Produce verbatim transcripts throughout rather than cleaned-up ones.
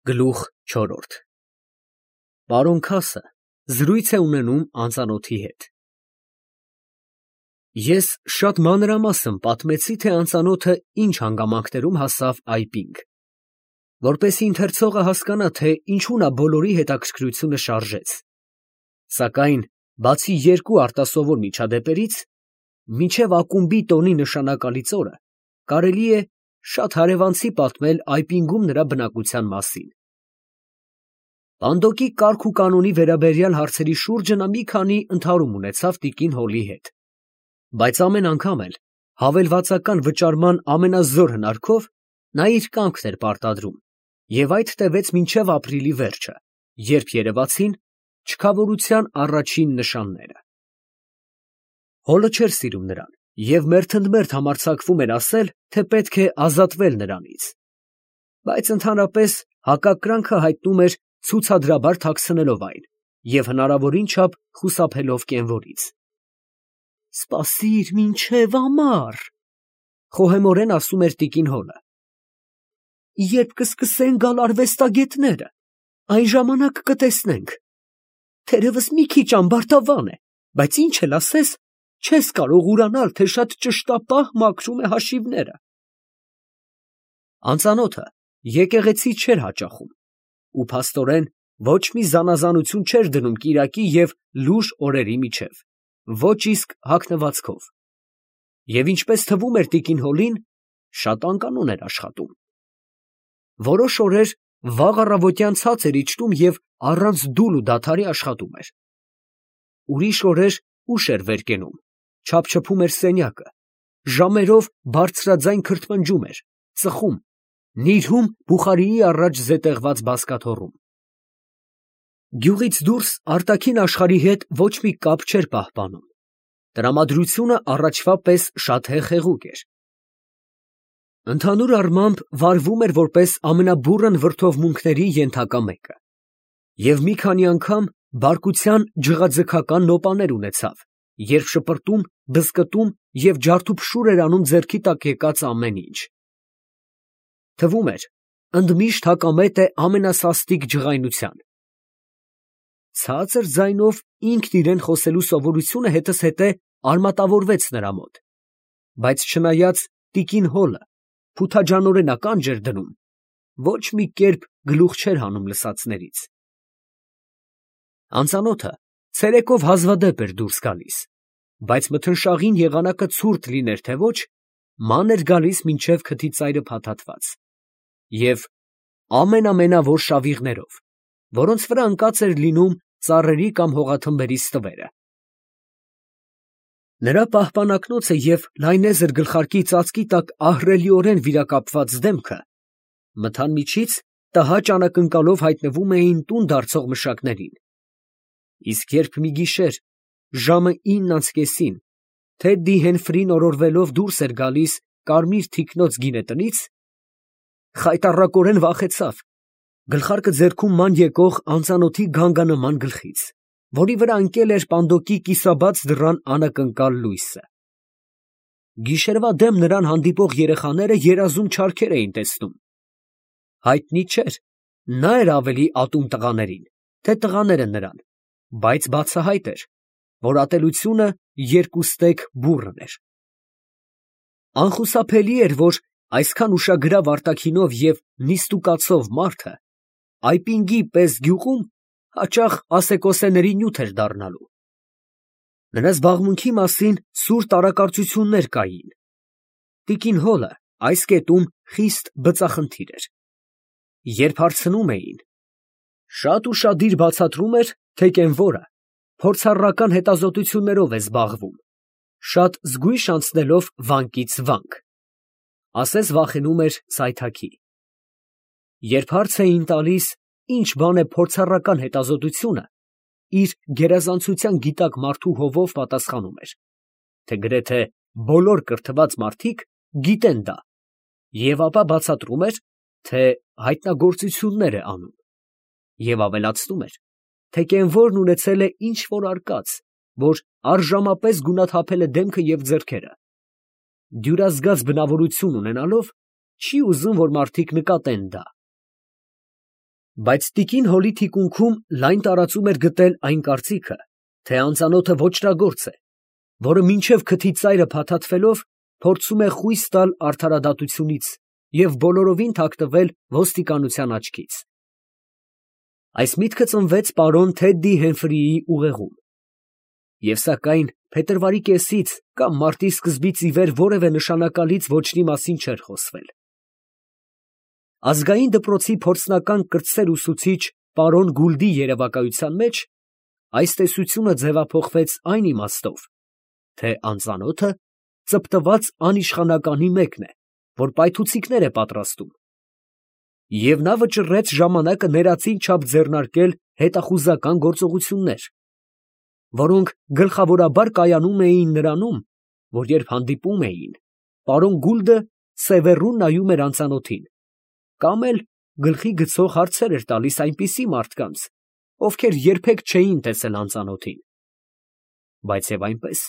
Գլուխ չորրորդ Պարոն Քասը զրույց է ունենում անծանոթի հետ։ Ես շատ մանրամասն պատմեցի, թե անծանոթը ինչ հանգամանքներում հասավ այպինգ, որպեսզի ընթերցողը հասկանա, թե ինչու նա բոլորի հետաքրքրությունը շարժեց, սակայն բացի երկու արտասովոր միջադեպերից, մինչև ակումբի տոնի նշանակալից օրը, կարելի է շատ հարևանցի պատմել այպինգում նրա բնակության մասին։ Պանդոկի կարգ ու կանոնի վերաբերյալ հարցերի շուրջը նա մի քանի ընդհարում ունեցավ տիկին Հոլի հետ, բայց ամեն անգամ էլ հավելվածական վճարման ամենազոր հնարքով նա իր կամքն էր պարտադրում, և այդ տևեց մինչև ապրիլի վերջը, երբ երևացին չքավորության առաջին նշանները։ Հոլը չէր սիրում նրան և մերթընդմերթ համարձակվում էր ասել, թե պետք է ազատվել նրանից, բայց ընդհանրապես հակակրանքը հայտնում էր ցուցադրաբար թաքցնելով այն և հնարավորին չափ խուսափելով կենվորից։ «Սպասիր մինչև ամառ», խոհեմորեն ասում էր տիկին Հոլը, «երբ կսկսեն գալ արվեստագետները, այն ժամանակ կտեսնենք, թերևս մի քիչ ամբարտավան է, բայց ինչ էլ ասես, չես կարող ուրանալ, թե շատ ճշտապահ մաքրում է հաշիվները»։ Անծանոթը եկեղեցի չէր հաճախում ու փաստորեն ոչ մի զանազանություն չէր դնում կիրակի և լուռ օրերի միջև, ոչ իսկ հագնվածքով, և ինչպես թվում էր տիկին Հոլին, շատ անկանոն էր աշխատում։ Որոշ օրեր վաղ առավոտյան ցած էր իջնում և առանց դուլ ու դադարի աշխատում էր։ Ուրիշ օրեր ուշ էր վեր կենում, չափչփում էր սենյակը, ժամերով բարձրաձայն քրթմնջում էր, ծխում, նիրհում բուխարիի առաջ զետեղված բազկաթոռում։ Գյուղից դուրս արտաքին աշխարհի հետ ոչ մի կապ չէր պահպանում, տրամադրությունը առաջվա պես շատ հեղեղուկ էր։ Ընդհանուր առմամբ վարվում էր որպես ամենաբուռն վրդովմունքների ենթակա մեկը, և մի քանի անգամ բարկության ջղաձգական նոպաներ ունեցավ, երբ շպրտում, բզկտում և ջարդուփշուր էր անում ձեռքի տակ եկած ամեն ինչ։ Թվում էր, ընդմիշտ հակամետ է ամենասաստիկ ջղայնության։ Ցածր ձայնով ինքն իրան խոսելու սովորությունը հետզհետե արմատավորվեց նրա մոտ, բայց չնայած տիկին Հոլը փութաջանորեն ականջ էր դնում, ոչ մի կերպ գլուխ չէր հանում լսածներից։ Անծանոթը ցերեկով հազվադեպ էր դուրս գալիս, բայց մթնշաղին եղանակը ցուրտ լիներ թե ոչ, ման էր գալիս մինչև քթի ծայրը փաթաթված, և ամեն֊ամենավոր շավիղներով, որոնց վրա ընկած էր լինում ծառերի կամ հողաթմբերի ստվերը։ Նրա պահպանակնոցը և լայնեզր գլխարկի ծածկի տակ ահռելիորեն վիրակապված դեմքը մթան միջից տհաճ անակնկալով հայտնվում էին տուն դարձող մշակներին, իսկ երբ մի գիշեր ժամը ինն անց կեսին Թեդդի Հենֆրին օրորվելով դուրս էր գալիս կարմիր թիկնոց գինետնից, խայտառակորեն վախեցավ գլխարկը ձեռքում ման եկող անծանոթի գանգանման գլխից, որի վրա ընկել էր պանդոկի կիսաբաց դռան անակնկալ լույսը։ Գիշերվա դեմ նրան հանդիպող երեխաները երազում չարքեր էին տեսնում։ Հայտնի չէր, նա էր ավելի ատում տղաներին, թե տղաները նրան, բայց բացահայտ էր, որ ատելությունը երկուստեք բուռն էր։ Անխուսափելի էր, որ այսքան ուշագրավ արտաքինով և նիստուկացող մարդը այպինգի պես գյուղում հաճախ ասեկոսեների նյութ էր դառնալու։ Նրա զբաղմունքի մասին սուր տարակարծություններ կային։ Տիկին Հոլը այս կետում խիստ բծախնդիր էր։ Երբ հարցնում էին, շատ ուշադիր բացատրում էր, թե կենվորը փորձառական հետազոտություններով է զբաղվում, շատ զգույշ անցնելով վանկից վանք, ասես վախենում էր սայթաքի։ Երբ հարց էին տալիս, ինչ բան է փորձառական հետազոտությունը, իր գերազանցության գիտակ մարդու հովով պատասխանում էր, թե գրեթե բոլոր կրթված մարդիկ գիտեն դա, և ապա բացատրում էր, թե հայտնագործություններ է անում, և ավելացնում էր, թե կենվորն ունեցել է ինչ֊որ արկած, որ առժամապես գունաթափել է դեմքը և ձեռքերը, դյուրազգաց բնավորություն ունենալով, չի ուզում, որ մարդիկ նկատեն դա։ Բայց տիկին Հոլի թիկունքում լայն տարածում էր գտել այն կարծիքը, թե անծանոթը ոճրագործ է, որը մինչև քթի ծայրը փաթաթվելով փորձում է խույս տալ արդարադատությունից և բոլորովին թաքնվել ոստիկանության աչքից։ Այս միտքը ծնվեց պարոն Թեդդի Հեմֆրիի ուղեղում, և սակայն փետրվարի կեսից կամ մարտի սկզբից ի վեր որևէ նշանակալից ոճրի մասին չէր խոսվել։ Ազգային դպրոցի փորձնական կրտսեր ուսուցիչ պարոն Գուլդի երևակայության մեջ այս տեսությունը ձևափոխվեց այն իմաստով, թե անծանոթը ծպտված անիշխանականի մեկն է, որ պայթուցիկներ է պատրաստում, և նա վճռեց ժամանակը ներածին չափ ձեռնարկել հետախուզական գործողություններ, որոնք գլխավորաբար կայանում էին նրանում, որ երբ հանդիպում էին, պարոն Գուլդը սևեռուն նայում էր անծանոթին, կամ էլ գլխի գցող հարցեր էր տալիս այնպիսի մարդկանց, ովքեր երբեք չէին տեսել անծանոթին, բայց և այնպես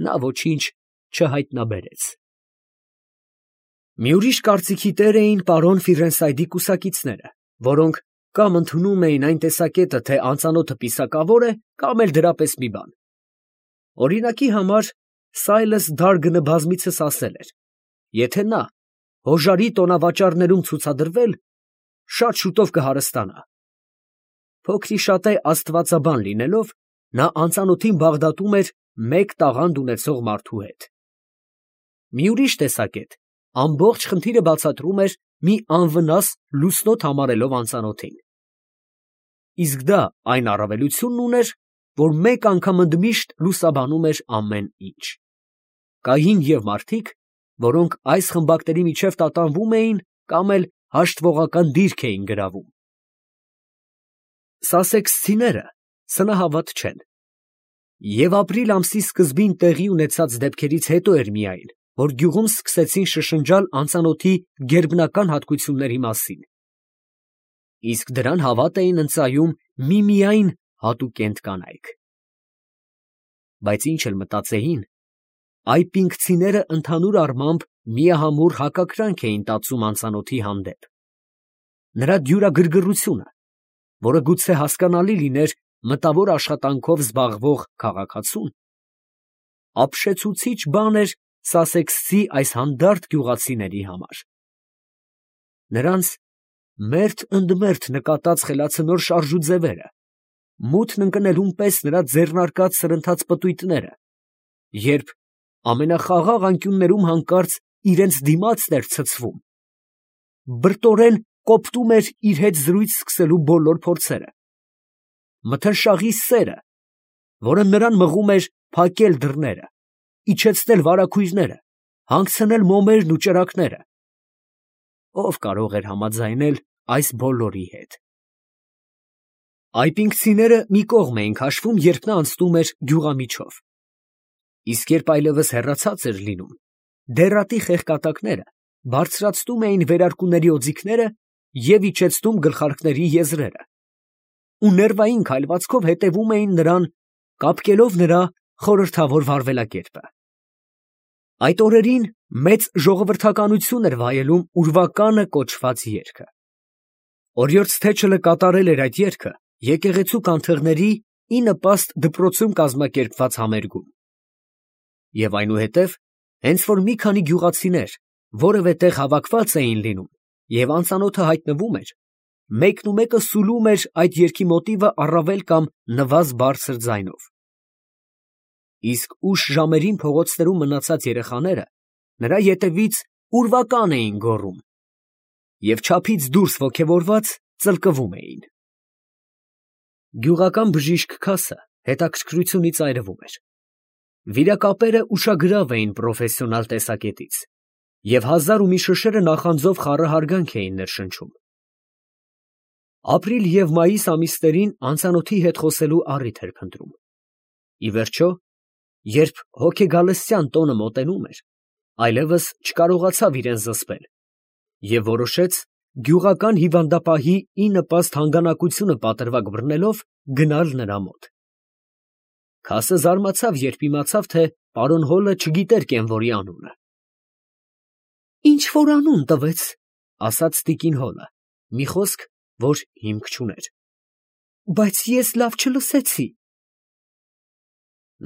նա ոչինչ չհայտնաբերեց։ Մի ուրիշ կարծիքի տեր էին պարոն Ֆիրենսայդի կուսակիցները, որոնք կամ ընդունում էին այն տեսակետը, թե անծանոթը պիսակավոր է, կամ էլ դրա պես մի բան։ Օրինակի համար Սայլըս Դարգնը բազմիցս ասել էր. եթե նա հոժարի տոնավաճառներում ցուցադրվել, շատ շուտով կհարստանա։ Փոքրիշատե աստվածաբան լինելով, նա անծանոթին բաղդատում էր մեկ տաղանդ ունեցող մարդու հետ։ Մի ուրիշ տեսակետ ամբողջ խնդիրը բացատրում էր մի անվնաս լուսնոտ համարելով անծանոթին։ Իսկ դա այն առավելությունն ուներ, որ մեկ անգամ ընդմիշտ լուսաբանում էր ամեն ինչ։ Կային և մարդիկ, որոնք այս խմբակների միջև տատանվում էին կամ էլ հաշտվողական դիրք էին գրավում։ Սասեքսցիները սնահավատ չեն, և ապրիլ ամսի սկզբին տեղի ունեցած դեպքերից հետո էր միայն, որ գյուղում սկսեցին շշնջալ անծանոթի գերբնական հատկությունների մասին, իսկ դրան հավատ էին ընծայում միմիայն հատուկենտ կանայք։ Բայց ինչ էլ մտածեին, այպինգցիները ընդհանուր առմամբ միահամուռ հակակրանք էին տածում անծանոթի հանդեպ։ Նրա դյուրագրգռությունը, որը գուցե հասկանալի լիներ մտավոր աշխատանքով զբաղվող քաղաքացուն, ապշեցուցիչ բան էր սասեքսցի այս հանդարտ գյուղացիների համար։ Նրանց մերթ ընդ մերթ նկատած խելացնոր շարժուձևերը, մութն ընկնելուն պես նրա ձեռնարկած սրընթաց պտույտները, երբ ամենախաղաղ անկյուններում հանկարծ իրենց դիմացն էր ցցվում, բրտորեն կոպտում էր իր հետ զրույց սկսելու բոլոր փորձերը, մթնշաղի սերը, որը նրան մղում էր փակել դռները, իջեցնել վարագույրները, հանգցնել մոմերն ու ճրագները, ով կարող էր համաձայնել այս բոլորի հետ։ Այպինգցիները մի կողմ էին քաշվում, երբ նա անցնում էր գյուղամիջով, իսկ երբ այլևս հեռացած էր լինում, դեռատի խեղկատակները բարձրացնում էին վերարկուների օձիքները և իջեցնում գլխարկների եզրերը, ու ներվային քայլվածքով հետևում էին նրան, կապկելով նրա խորհրդավոր վարվելակերպը։ Այդ օրերին մեծ ժողովրդականություն էր վայելում ուրվականը կոչված երգը։ Օրիորդ Թեչլը կատարել էր այդ երգը եկեղեցու կանթեղների ի նպաստ դպրոցում կազմակերպված համերգում։ Եվ այնուհետև, հենց որ մի քանի գյուղացիներ որևէ տեղ հավաքված էին լինում և անծանոթը հայտնվում էր, մեկնումեկը սուլում էր այդ երգի մոտիվը առավել կամ նվազ բարձր ձայնով։ Իսկ ուշ ժամերին փողոցներում մնացած երեխաները նրա ետևից ուրվական էին գոռում և չափից դուրս ոգևորված ծլկվում էին։ Գյուղական բժիշկ Քասը հետաքրքրությունից այրվում էր։ Վիրակապերը ուշագրավ էին պրոֆեսիոնալ տեսակետից, և հազար ու մի շշերը նախանձով խառը հարգանք էին ներշնչում։ Ապրիլ և մայիս ամիսներին անծանոթի հետ խոսելու առիթ էր փնտրում։ Ի վերջո, երբ հոգեգալստյան տոնը մոտենում էր, այլևս չկարողացավ իրան զսպել և որոշեց գյուղական հիվանդապահի ի նպաստ հանգանակությունը պատրվակ բռնելով գնալ նրա մոտ։ Քասը զարմացավ, երբ իմացավ, թե պարոն Հոլը չգիտեր կենվորի անունը։ «Ինչ որ անուն տվեց», ֊ ասաց տիկին Հոլը, մի խոսք, որ հիմք չուներ։ Բայց ես լավ չլսեցի։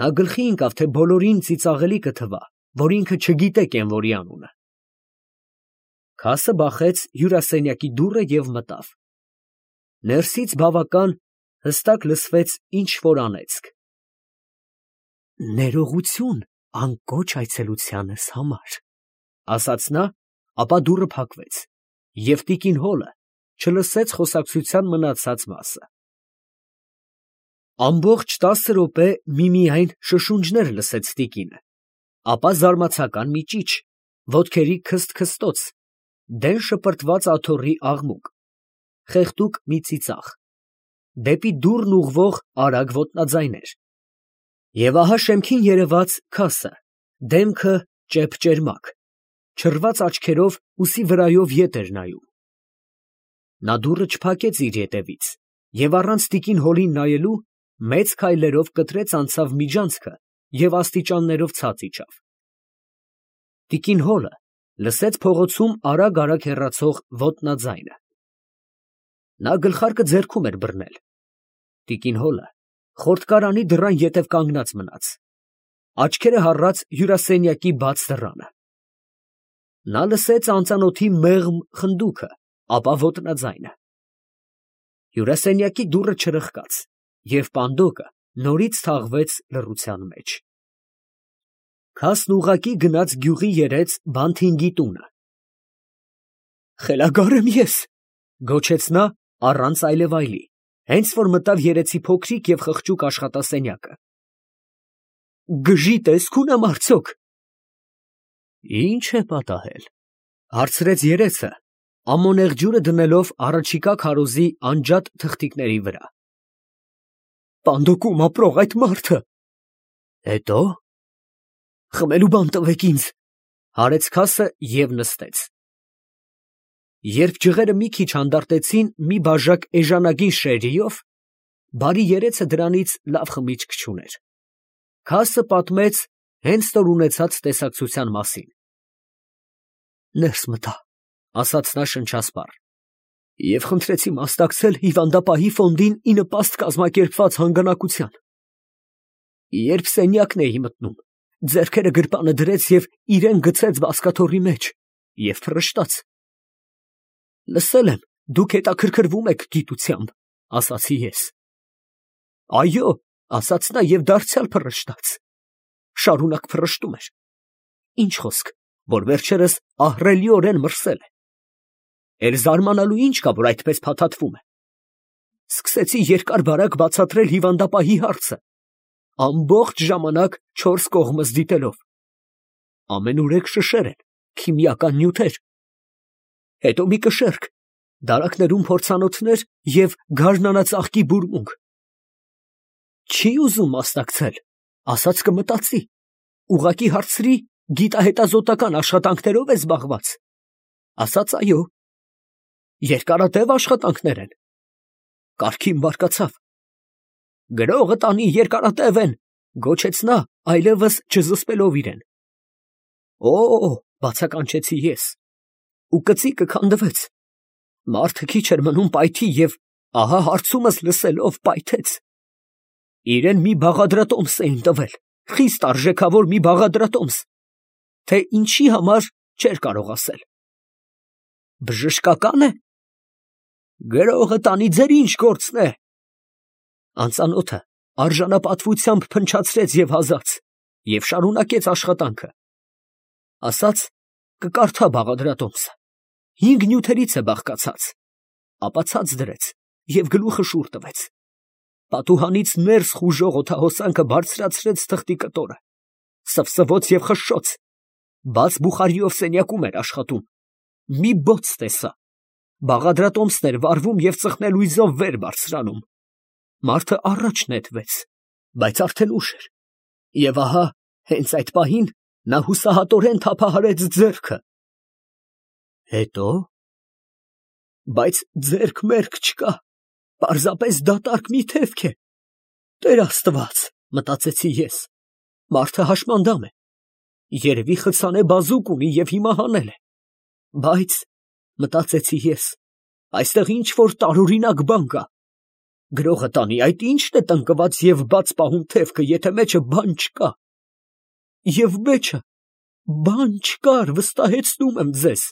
Նա գլխի ընկավ, թե բոլորին ծիծաղելի կթվա, որ ինքը չգիտե կենվորի անունը։ Քասը բախեց հյուրասենյակի դուռը և մտավ։ Ներսից բավական հստակ լսվեց ինչ֊որ անեծք։ Ներողություն անկոչ այցելությանս համար, ասաց նա, ապա դուռը փակվեց, և տիկին Հոլը չլսեց խոսակցության մնացած մասը։ Ամբողջ տասը րոպե միմիայն շշունջներ լսեց տիկինը, ապա զարմացական մի ճիչ, ոտքերի քսթ֊քստոց, դեն շպրտված աթոռի աղմուկ, խեղդուկ մի ծիծաղ, դեպի դուռն ուղղվող արագ ոտնաձայներ։ Եվ ահա շեմքին երևաց Քասը, դեմքը ճեպ֊ճերմակ, չռված աչքերով ուսի վրայով ետ էր նայում։ Նա դուռը չփակեց իր ետևից և առանց տիկին Հոլին նայելու մեծ քայլերով կտրեց անցավ միջանցքը և աստիճաններով ցած իջավ։ Տիկին Հոլը լսեց փողոցում արագ֊արագ հեռացող ոտնաձայնը։ Նա գլխարկը ձեռքում էր բռնել։ Տիկին Հոլը խորտկարանի դռան ետև կանգնած մնաց, աչքերը հառած հյուրասենյակի բաց դռանը։ Նա լսեց անծանոթի մեղմ խնդուքը, ապա ոտնաձայնը։ Հյուրասենյակի դուռը չրխկաց, և պանդոկը նորից թաղվեց լռության մեջ։ Քասն ուղղակի գնաց գյուղի երեց Բանթինգի տունը։ «Խելագար եմ ես», գոչեց նա առանց այլևայլի, հենց որ մտավ երեցի փոքրիկ և խղճուկ աշխատասենյակը։ «Գժի տեսք ունեմ արդյոք»։ «Ի՞նչ է պատահել», հարցրեց երեցը, ամոնեղ ջուրը դնելով առաջիկա քարոզի անջատ թղթիկների վրա։ «Պանդոկում ապրող այդ մարդը»։ «Հետո՞։ Խմելու բան տվեք ինձ», հարեց Քասը և նստեց։ Երբ ջղերը մի քիչ հանդարտեցին մի բաժակ էժանագին շերրիով, բարի երեցը դրանից լավ խմիչք չուներ։ Քասը պատմեց հենց որ ունեցած տեսակցության մասին։ «Ներս մտա», ասաց նա շնչասպառ, «և խնդրեցի մասնակցել հիվանդապահի ֆոնդին ի նպաստ կազմակերպված հանգանակության։ Երբ սենյակն էի մտնում, ձեռքերը գրպանը դրեց և իրան գցեց բազկաթոռի մեջ և փռշտաց։ Լսել եմ, դուք հետաքրքրվում եք գիտությամբ, ասացի ես։ Այո, ասաց նա և դարձյալ փռշտաց, շարունակ փռշտում էր, ինչ խոսք, որ վերջերս ահռելիորեն մրսել է։ Էլ զարմանալու ինչ կա, որ այդպես փաթաթվում է։ Սկսեցի երկար֊բարակ բացատրել հիվանդապահի հարցը, ամբողջ ժամանակ չորս կողմս դիտելով։ Ամենուրեք շշեր են, քիմիական նյութեր։ Հետո մի կշեռք, դարակներում փորձանոթներ և գարնանածաղկի բուրմունք։ Չի ուզում մասնակցել, ասաց կմտածի, ուղղակի հարցրի գիտահետազոտական աշխատանքներով է զբաղված։ Ասաց այո։ Երկարատև աշխատանքներ են։ Կառքին բարկացավ։ Գրողը տանի երկարատև են, գոչեց նա, այլևս չզսպելով իրեն։ Օ, բացականչեցի ես, ու կծիկը քանդվեց։ Մարդը քիչ էր մնում պայթի և ահա հարցումս լսելով պայթեց։ Իրեն մի բաղադրատոմս էին տվել, խիստ արժեքավոր մի բաղադրատոմս, թե ինչի համար չէր կարող ասել։ Բժշկակա՞ն է։ Գրողը տանի ձեր ինչ գործն է։ Անծանոթը արժանապատվությամբ փնչացրեց և հազաց և շարունակեց աշխատանքը։ Ասաց կկարդա բաղադրատոմսը, հինգ նյութերից է բաղկացած, ապա ցած դրեց և գլուխը շուռ տվեց։ Պատուհանից ներս խուժող օդահոսանքը բարձրացրեց թղթի կտորը, սվսվոց և խշշոց, բաց բուխարիով սենյակում էր աշխատում, մի բոց տեսա, բաղադրատոմսն էր վառվում և ծխնելույզով վեր բարձրանում։ Մարդը առաջ նետվեց, բայց արդեն ուշ էր, և ահա հենց այդ պահին նա հուսահատորեն թափահարեց ձեռքը։ Հետո։ Բայց ձեռք-մերկ չկա, պարզապես դատարկ մի թևք է։ Տեր Աստված, մտածեցի ես, մարդը հաշմանդամ է, երևի խցանե բազուկ ունի և հիմա հանել է։ Բայց, մտածեցի ես, Այստեղ ինչ որ տարօրինակ բան կա։ Գրողը տանի, այդ ի՞նչն է տնկված և բաց պահում թևքը, եթե մեջը բան չկա։ Եվ մեջը բան չկար, վստահեցնում եմ ձեզ։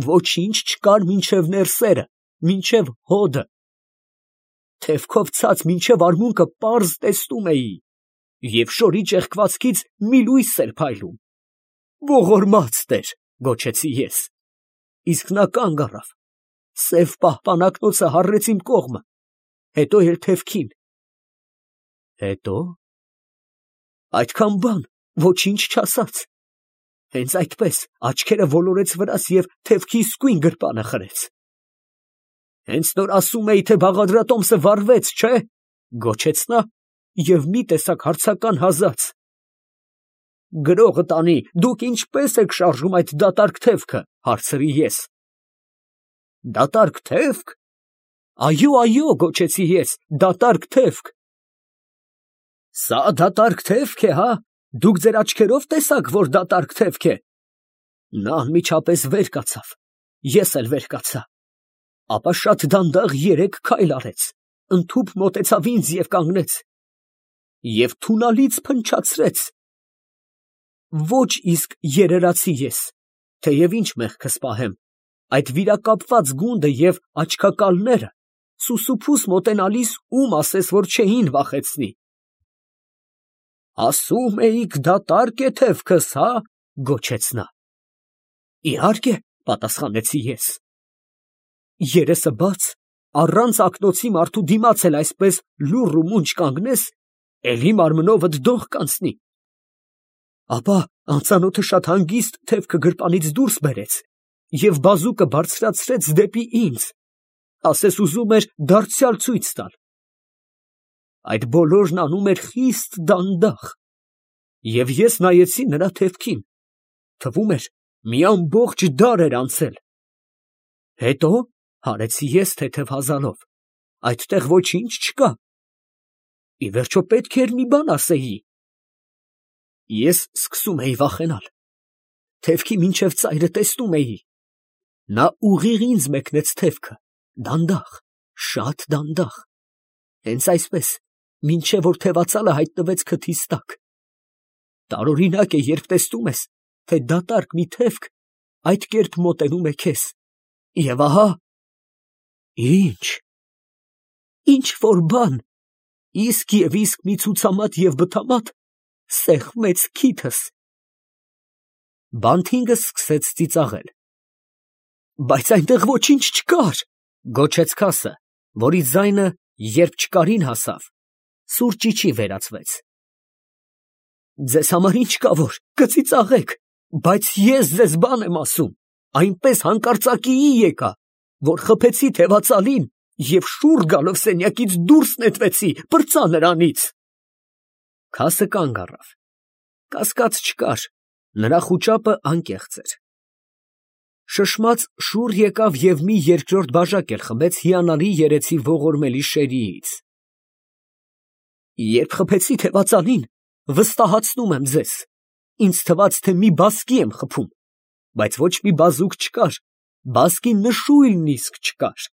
Ոչինչ չկար մինչև ներսերը, մինչև հոդը։ Թևքով ցած մինչև արմունկը պարզ տեսնում էի, և շորի ճեղքվածքից մի լույս էր փայլում։ Ողորմած Տեր, գոչեցի ես։ Իսկ նա կանգ առավ, սև պահպանակնոցը հառեց իմ կողմը, հետո էլ թևքին։ Հետո՞։ Այդքան բան, ոչինչ չասաց։ Հենց այդպես աչքերը ոլորեց վրաս և թևքի իսկույն գրպանը խրեց։ Հենց նոր ասում էի, թե բաղադրատոմսը վառվեց, չէ՞, գոչեց նա և մի տեսակ հարցական հազաց։ Գրողը տանի, դուք ինչպե՞ս եք շարժում այդ դատարկ թևքը, հարցրի ես։ Դատարկ թևք։ Այո, այո, գոչեցի ես, դատարկ թևք։ Սա դատարկ թևք է, հա, դուք ձեր աչքերով տեսաք, որ դատարկ թևք է։ Նա անմիջապես վեր կացավ, ես էլ վեր կացա, ապա շատ դանդաղ երեք քայլ արեց, ընդհուպ մոտեցավ ինձ և կանգնեց, և թունալից փնչացրեց։ Ոչ իսկ երերացի ես, թեև ինչ մեղքս պահեմ, այդ վիրակապված գունդը և աչքակալները սուսուփուս մոտենալիս ում ասես, որ չէին վախեցնի։ Ասում էիք, դատարկ է թևքս, հա, գոչեց նա։ Իհարկե, պատասխանեցի ես։ Երեսը բաց, առանց ակնոցի մարդու դիմաց էլ այսպես լուռ ու մունջ կանգնես, էլի մարմնովդ դող կանցնի։ Ապա անծանոթը շատ հանգիստ թևքը գրպանից դուրս բերեց և բազուկը բարձրացրեց դեպի ինձ, ասես ուզում էր դարձյալ ցույց տալ։ Այդ բոլորն անում էր խիստ դանդաղ, և ես նայեցի նրա թևքին, թվում էր, մի ամբողջ դար էր անցել։ Հետո, հարեցի ես թեթև հազալով, այդտեղ ոչինչ չկա։ Ի վերջո պետք էր մի բան ասեի։ Ես սկսում էի վախենալ, թևքի մինչև ծայրը տեսնում էի։ Նա ուղիղ ինձ մեկնեց թևքը, դանդաղ, շատ դանդաղ, հենց այսպես, մինչև որ թևածալը հայտնվեց քթիս տակ։ Տարօրինակ է, երբ տեսնում ես, թե դատարկ մի թևք այդ կերպ մոտենում է քեզ, և ահա… Ի՞նչ։ Ինչ որ բան, իսկ և իսկ մի ցուցամատ և բթամատ սեղմեց քիթս։ Բանթինգը սկսեց ծիծաղել։ Բայց այնտեղ ոչինչ չկար, գոչեց քասը, որի ձայնը, երբ չկարին հասավ, սուր ճիչի վերածվեց։ Ձեզ համար ինչ կա որ, կծիծաղեք, բայց ես ձեզ բան եմ ասում, այնպես հանկարծակիի եկա, որ խփեցի թևածալին և շուռ գալով սենյակից դուրս նետվեցի, պրծա նրանից։ Քասը կանգ առավ, կասկած չկար, նրա խուճապը անկեղծ էր։ Շշմած շուռ եկավ և մի երկրորդ բաժակ էլ խմեց հիանալի երեսի ողորմելի շերիից։ Երբ խփեցի թևածալին, վստահացնում եմ ձեզ, ինձ թվաց, թե մի բասկի եմ խփում, բայց ոչ մի բազուկ չկար, բասկի նշույլն իսկ չկար։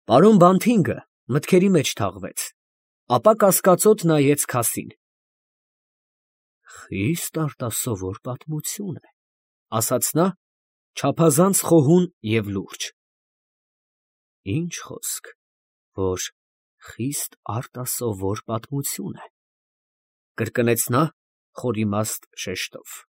Պարոն Բանթինգը մտքերի մեջ թաղվեց, ապա կասկածոտ նայեց քասին։ Խիստ արտասովոր պատմություն է, ասաց նա, չափազանց խոհուն և լուրջ։ Ինչ խոսք, որ խիստ արտասովոր պատմություն է, կրկնեց նա խորիմաստ շեշտով։